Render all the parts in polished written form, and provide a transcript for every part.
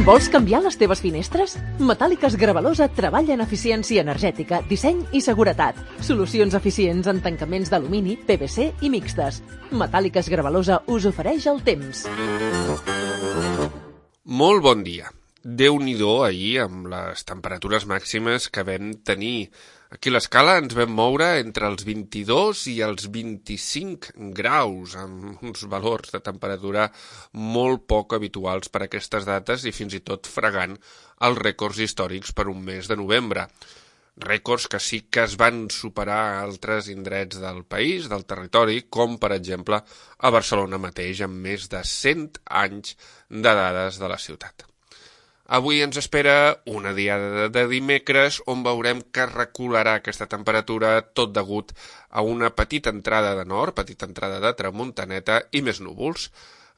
Vols canviar les teves finestres? Metàl·liques Gravalosa treballa en eficiència energètica, disseny i seguretat. Solucions eficients en tancaments d'alumini, PVC i mixtes. Metàl·liques Gravalosa us ofereix el temps. Molt bon dia. Déu-n'hi-do ahir amb les temperatures màximes que vam tenir. Aquí a l'escala ens vam moure entre els 22 i els 25 graus, amb uns valors de temperatura molt poc habituals per a aquestes dates i fins i tot fregant els rècords històrics per un mes de novembre. Rècords que sí que es van superar a altres indrets del país, del territori, com per exemple a Barcelona mateix, amb més de 100 anys de dades de la ciutat. Avui ens espera una diada de dimecres on veurem que recularà aquesta temperatura tot degut a una petita entrada de nord, petita entrada de tramuntaneta i més núvols.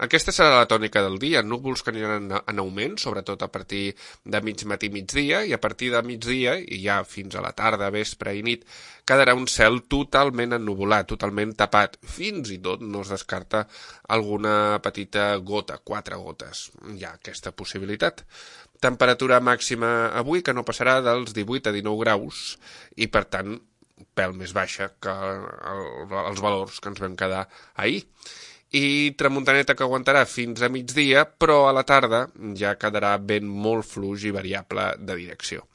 Aquesta serà la tònica del dia, núvols que aniran en augment, sobretot a partir de mig matí i migdia, i a partir de migdia, i ja fins a la tarda, vespre i nit, quedarà un cel totalment ennuvolat, totalment tapat. Fins i tot no es descarta alguna petita gota, 4 gotes. Hi ha aquesta possibilitat. Temperatura màxima avui que no passarà dels 18 a 19 graus i, per tant, pèl més baixa que els valors que ens vam quedar ahir. I tramuntaneta que aguantarà fins a migdia, però a la tarda ja quedarà vent molt fluix i variable de direcció.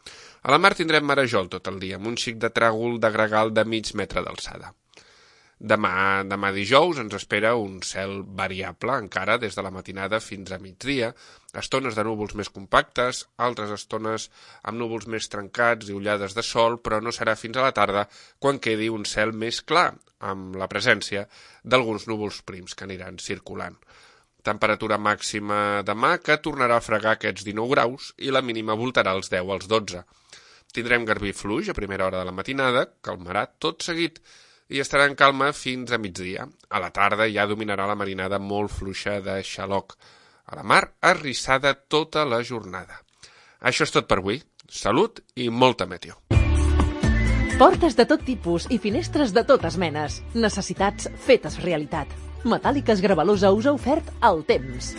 A la mar tindrem marejol tot el dia, amb un xic de tràgol de gregal de mig metre d'alçada. Demà dijous ens espera un cel variable encara des de la matinada fins a migdia, estones de núvols més compactes, altres estones amb núvols més trencats i ullades de sol, però no serà fins a la tarda quan quedi un cel més clar, amb la presència d'alguns núvols prims que aniran circulant. Temperatura màxima demà que tornarà a fregar aquests 19 graus i la mínima voltarà els 10 als 12. Tindrem garbí fluix a primera hora de la matinada, calmarà tot seguit, i estarà en calma fins a migdia. A la tarda ja dominarà la marinada molt fluixa de xaloc. A la mar, arrissada tota la jornada. Això és tot per avui. Salut i molta meteo. Portes de tot tipus i finestres de totes menes. Necessitats fetes realitat. Metàl·liques Gravalosa us ha ofert el temps.